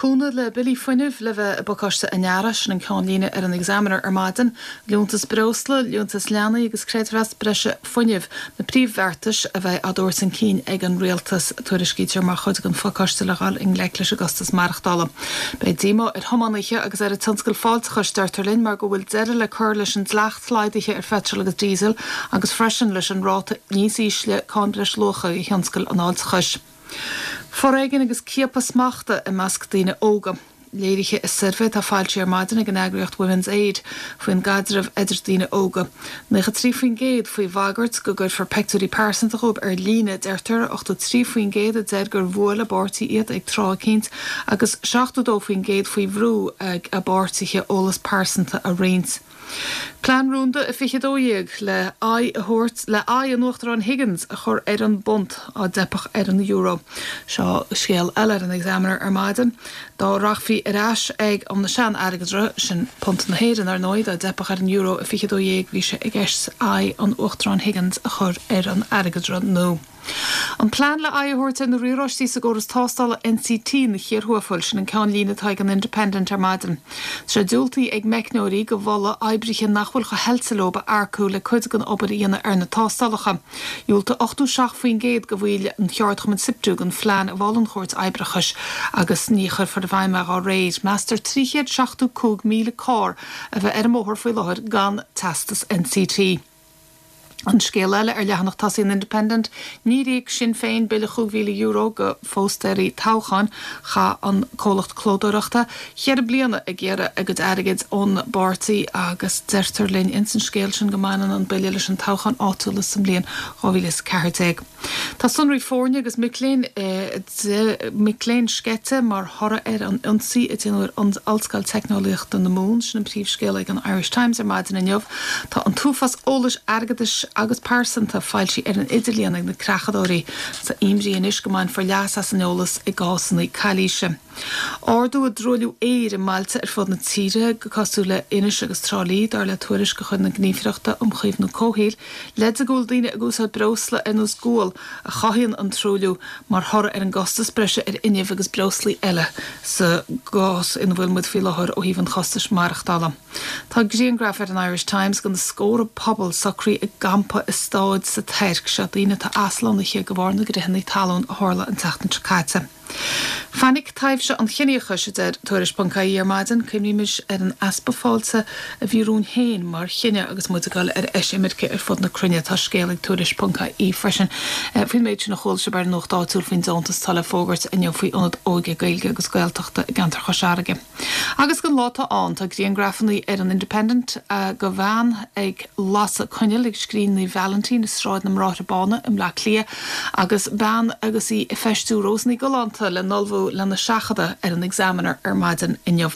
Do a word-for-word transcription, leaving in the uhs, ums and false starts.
Cúnamh le billí fuinnimh le bheith i bpacáiste an earraigh, sin an ceannlíne ar an Examiner ar maidin. Liúntas breosla, liúntas leanaí agus creidmheas breise fuinnimh na príomhbheartais a bheidh á dtabhairt chun cinn ag an rialtas, tuairiscítear mar chuid den phacáiste le dhul i ngleic leis an gcostas maireachtála. Beidh díomá ar thiománaithe agus ar an tionscal fáilteachais, deirtear linn, mar go bhfuil deireadh le cur leis an dleacht laghdaithe ar pheitreal agus díosal agus freisin leis an ráta níos ísle cáin breisluacha do thionscal an fháilteachais. Foréigean agus ciapadh smachta i measc daoine óga, léirithe i suirbhé atá foilsithe ar maidin ag an eagraíocht Women's Aid faoin gcaidreamh idir daoine óga. Naocha trí faoin gcéad faoi bhagairt go gcuirfear pictiúirí pearsanta dhóibh ar líne, deirtear, ochtó trí faoin gcéad a deir gur bhuail a bpáirtí iad ag tráth eicínt agus seachtó dó faoin gcéad faoi bhrú ag a bpáirtithe eolas pearsanta a roinnt. Plean rúnda i fiche dó dhéag le aghaidh a thabhairt le aghaidh an Uachtaráin Higgins a chur ar an bpunt dá dteipfeadh ar an euro. Seo scéal eile ar an Examiner ar maidin. Dá rachfaí ar ais ag an sean-airgeadra, sin punt na hÉireann ar ndóigh, dá dteipfeadh ar an euro i fiche dó dhéag bhí sé i gceist aghaidh an Uachtaráin Higgins a chur ar an airgeadra nua. An plean le aghaidh a thabhairt ar na riaráistí sa gcóras tástála N C T na chéad sin an ceannlíne atá ag an Independent ar maidin. Tá sé diúltaithe ag meicneoirí go bhfola oibrithe nach bhfuil chomh hoilte leo a earcú le cuid den obair a dhéanamh ar na tástálacha. Dhiúltaigh ochtó seacht faoin gcéad de bhaill an cheardchumainn SIPTU don phlean a mhol an Chúirt Oibreachais agus ní chuirfear i bhfeidhm é dá réir. Meastar trí chéad seachtó cúig míle carr a bheith ar an mbóthar faoi láthair gan teastas N C T. An scéal eile ar leathanach tosaigh an Independent, níor íoc Sinn Féin bille chúig mhíle euro do phóstaeirí toghcháin. Chaith an comhlacht clódóireachta ceithre bliana ag iarraidh a gcuid airgid ón bpáirtí agus deirtear linn ins an scéal sin go mbaineann an bille leis an toghchán áitiúla sa mbliain dhá mhíle is a ceathair déag. Tá sonraí foirne agus mic léinn eh, mic léinn sceite mar thoradh ar an ionsaí a déanadh ar an Ollscoil Teicneolaíochta na Mumhan, sin an príomhscéal ag an Irish Times ar maidin inniu. Tá an t-uafás eolais airgeadais agus pearsanta foilsithe ar an idirlíon ag na creachadóirí tá imní anois go mbainfear leas as an eolas i gcásanna calaoise. Ardú i dtruailliú aeir i mbailte ar fud na tíre go cosúil le Inis agus Trá Lí, dar le tuairisc de chuid na Gníomhaireachta um Chaomhnú Comhshaoil, le go bhfuil daoine ag úsáid breosla ar nós gual a chothaíonn an truailliú mar thoradh ar an gcostas breise ar fhuinneamh agus breoslaí eile sa gcás ina bhfuil muid faoi láthair ó thaobh an chostais maireachtála. Tá grianghraf ar an Irish Times de na scórtha pobal socraithe i gcampa i staid sa Tuirc, seo daoine atá aslonnaithe de bharr na gcritheanna talún a tharla an tseachtain seo caite. Fainic taibhse an chiníochais, a deir Tuairisc ponc I E ar maidin. Cuimhnímis ar an easpa fáilte a bhí romhainn féin mar chine agus muid ag dul ar eisimirce ar fud na cruinne. Tá scéal ag Tuairisc ponc I E freisin faoin méid sin a chuala sibh ar an nuacht áitiúil faoin deontas atá le fógairt inniu faoi ionad óige Gaeilge agus Gaeltachta i gceantar Chois Fharraige. Agus don lá atá ann, tá grianghrafanna ar an Independent de bhean ag lasadh coinneal ag scrín Naomh Vailintín i Sráid na mBráithre Bána i mBleá Cliath agus bean agus í ag feistiú rósanna galánta le n-ullmhú lena seachadadh ar an Examiner ar maidin inniu.